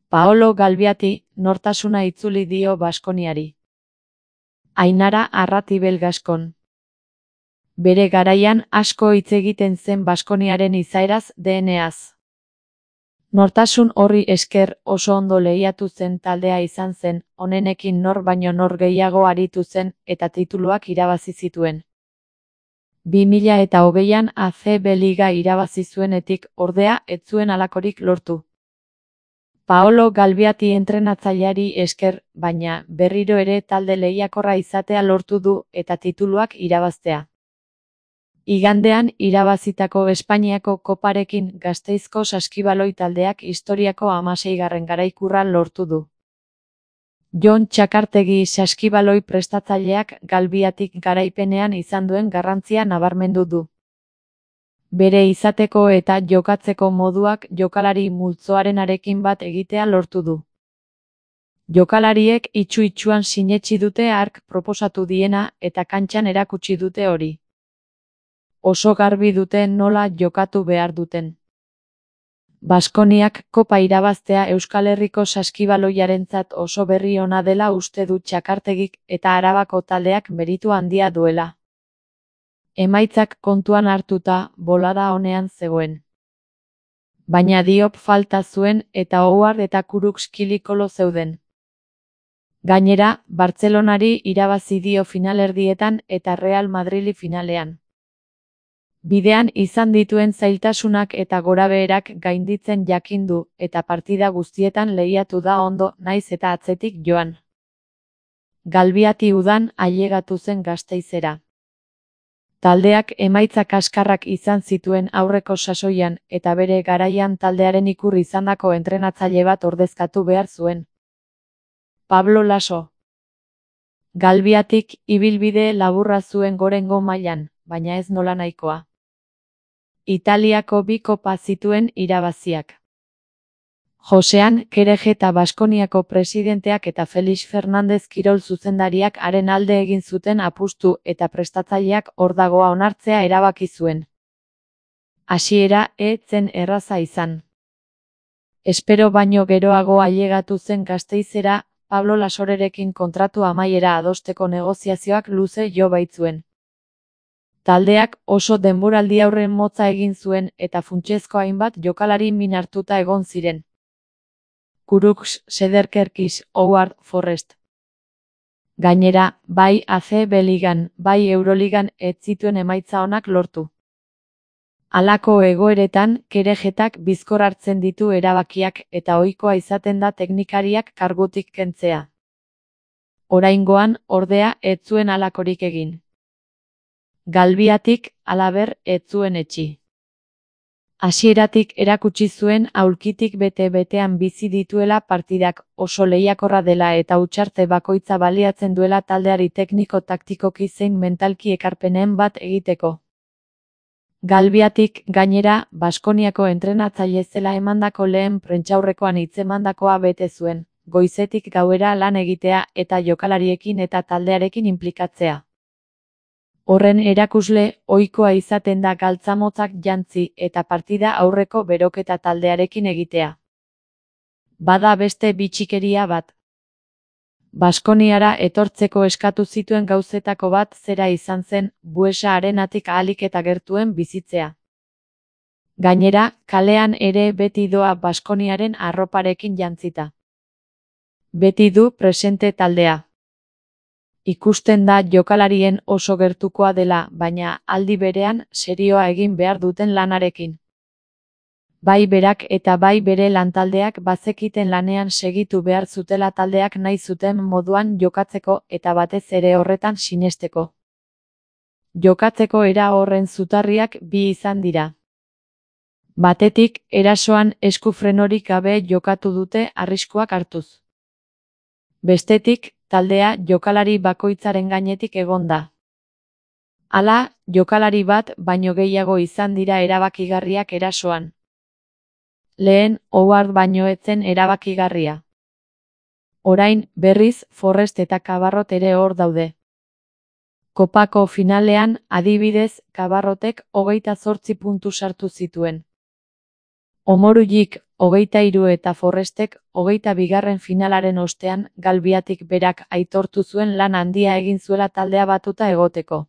Paolo Galbiati nortasuna itzuli dio Baskoniari. Ainara Arratibel Gaskon. Bere garaian asko hitz egiten zen Baskoniaren izaeraz, DNA-az. Nortasun horri esker oso ondo lehiatu zen taldea izan zen, honenekin nor baino nor gehiago aritu zen eta tituluak irabazi zituen. 2020an ACB Liga irabazi zuenetik, ordea, ez zuen halakorik lortu. Paolo Galbiati entrenatzaileari esker, baina, berriro ere talde lehiakorra izatea lortu du eta tituluak irabaztea. Igandean irabazitako Espainiako koparekin Gasteizko saskibaloi taldeak historiako 16. garaikurra lortu du. Jon Txakartegi saskibaloi prestatzaileak Galbiatik garaipenean izan duen garrantzia nabarmendu du. Bere izateko eta jokatzeko moduak jokalari multzoarenarekin bat egitea lortu du. Jokalariek itsu-itsuan sinetsi dute hark proposatu diena eta kantxan erakutsi dute hori. Oso garbi dute nola jokatu behar duten. Baskoniak kopa irabaztea Euskal Herriko saskibaloiarentzat oso berri ona dela uste du Txakartegik eta Arabako taldeak meritu handia duela. Emaitzak kontuan hartuta, bolada onean zegoen. Baina Diop falta zuen eta Howard eta Kurux kilikolo zeuden. Gainera, Bartzelonari irabazi dio finalerdietan eta Real Madrili finalean. Bidean izan dituen zailtasunak eta gorabeherak gainditzen jakin du eta partida guztietan lehiatu da ondo naiz eta atzetik joan. Galbiati udan ailegatu zen Gasteizera. Taldeak emaitza kaskarrak izan zituen aurreko sasoian eta bere garaian taldearen ikur izandako entrenatzaile bat ordezkatu behar zuen. Pablo Laso. Galbiatik ibilbide laburra zuen gorengo mailan, baina ez nola nahikoa. Italiako 2 kopa zituen irabaziak. Josean Kereje eta Baskoniako presidenteak eta Felix Fernandez kirol zuzendariak haren alde egin zuten apustu eta prestatzaileak hor dagoa onartzea erabaki zuen. Hasiera ez zen erraza izan. Espero baino geroago ailegatu zen Gasteizera, Pablo Lasorerekin kontratu amaiera adosteko negoziazioak luze jo baitzuen. Taldeak oso denboraldi aurren motza egin zuen eta funtsezko hainbat jokalari min hartuta egon ziren. Kurux, Sederkerkis, Howard, Forrest. Gainera, bai ACB Ligan, bai Euroligan ez zituen emaitza onak lortu. Halako egoeretan, Kerejetak bizkor hartzen ditu erabakiak eta ohikoa izaten da teknikariak kargutik kentzea. Oraingoan, ordea, ez zuen halakorik egin. Galbiatik, halaber, ez zuen etsi. Hasieratik erakutsi zuen aulkitik bete-betean bizi dituela partidak, oso lehiakorra dela eta hutsarte bakoitza baliatzen duela taldeari tekniko-taktikoki zein mentalki ekarpenen bat egiteko. Galbiatik, gainera, Baskoniako entrenatzaile zela emandako lehen prentsaurrekoan hitzemandakoa bete zuen, goizetik gauera lan egitea eta jokalariekin eta taldearekin inplikatzea. Horren erakusle, ohikoa izaten da galtzamotzak jantzi eta partida aurreko beroketa taldearekin egitea. Bada beste bitxikeria bat. Baskoniara etortzeko eskatu zituen gauzetako bat zera izan zen, Buesa arenatik ahalik eta gertuen bizitzea. Gainera, kalean ere beti doa Baskoniaren arroparekin jantzita. Beti du presente taldea. Ikusten da jokalarien oso gertukoa dela, baina aldi berean serioa egin behar duten lanarekin. Bai berak eta bai bere lantaldeak bazekiten lanean segitu behar zutela taldeak nahi zuten moduan jokatzeko eta batez ere horretan sinesteko. Jokatzeko era horren zutarriak bi izan dira. Batetik, erasoan eskufrenorik gabe jokatu dute arriskuak hartuz. Bestetik, taldea jokalari bakoitzaren gainetik egon da. Hala, jokalari bat baino gehiago izan dira erabakigarriak erasoan. Lehen, Howard baino ez zen erabakigarria. Orain, berriz, Forrest eta Cabarrot ere hor daude. Kopako finalean, adibidez, Cabarrotek 28 puntu sartu zituen. Omorullik 23 eta Forrestek 22. finalaren ostean Galbiatik berak aitortu zuen lan handia egin zuela taldea batuta egoteko.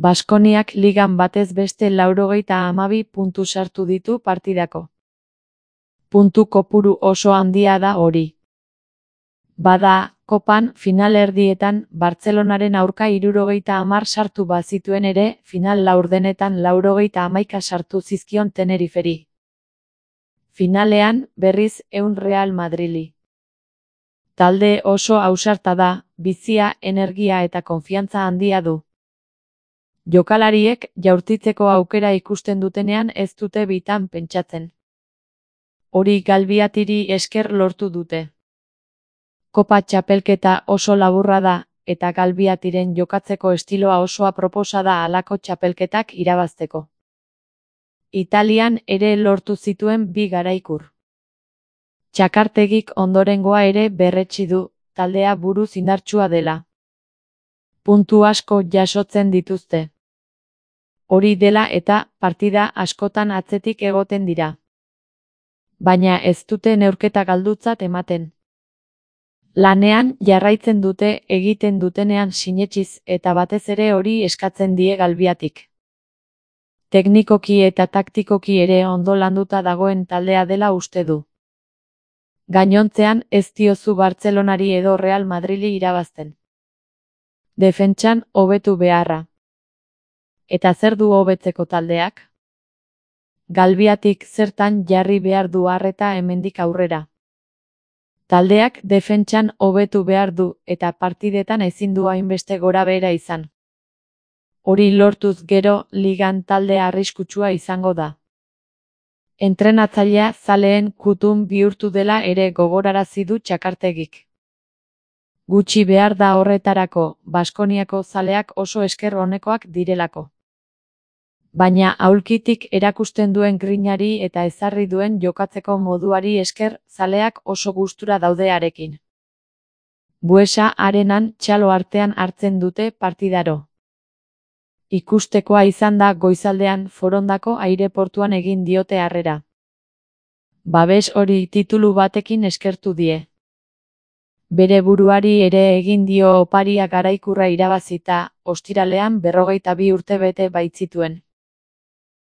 Baskoniak ligan batez beste 92 puntu sartu ditu partidako. Puntu kopuru oso handia da hori. Bada, kopan finalerdietan Bartzelonaren aurka 70 sartu bazituen ere, final laurdenetan 91 sartu zizkion Teneriferi. Finalean, berriz 100 Real Madrili. Talde oso ausarta da, bizia, energia eta konfiantza handia du. Jokalariek jaurtitzeko aukera ikusten dutenean ez dute bitan pentsatzen. Hori Galbiatiri esker lortu dute. Kopa txapelketa oso laburra da, eta Galbiatiren jokatzeko estiloa oso aproposa da halako txapelketak irabazteko. Italian ere lortu zituen 2 garaikur. Txakartegik ondorengoa ere berretsi du, taldea buruz indartsua dela. Puntu asko jasotzen dituzte. Hori dela eta partida askotan atzetik egoten dira. Baina ez dute neurketa galdutzat ematen. Lanean jarraitzen dute egiten dutenean sinetsiz eta batez ere hori eskatzen die Galbiatik. Teknikoki eta taktikoki ere ondo landuta dagoen taldea dela uste du. Gainontzean ez diozu Bartzelonari edo Real Madrili irabazten. Defentsan hobetu beharra. Eta zer du hobetzeko taldeak? Galbiatik zertan jarri behar du arreta hemendik aurrera. Taldeak defentsan hobetu behar du eta partidetan ezin du hainbeste gorabehera izan. Hori lortuz gero ligan talde arriskutsua izango da. Entrenatzailea zaleen kutun bihurtu dela ere gogorarazi du Txakartegik. Gutxi behar da horretarako, Baskoniako zaleak oso esker onekoak direlako. Baina aulkitik erakusten duen grinari eta ezarri duen jokatzeko moduari esker zaleak oso gustura daude harekin. Buesa Arenan txalo artean hartzen dute partidaro. Ikustekoa izan da goizaldean Forondako aireportuan egin diote harrera. Babes hori titulu batekin eskertu die. Bere buruari ere egin dio oparia garaikurra irabazita, ostiralean 42 urte bete baitzituen.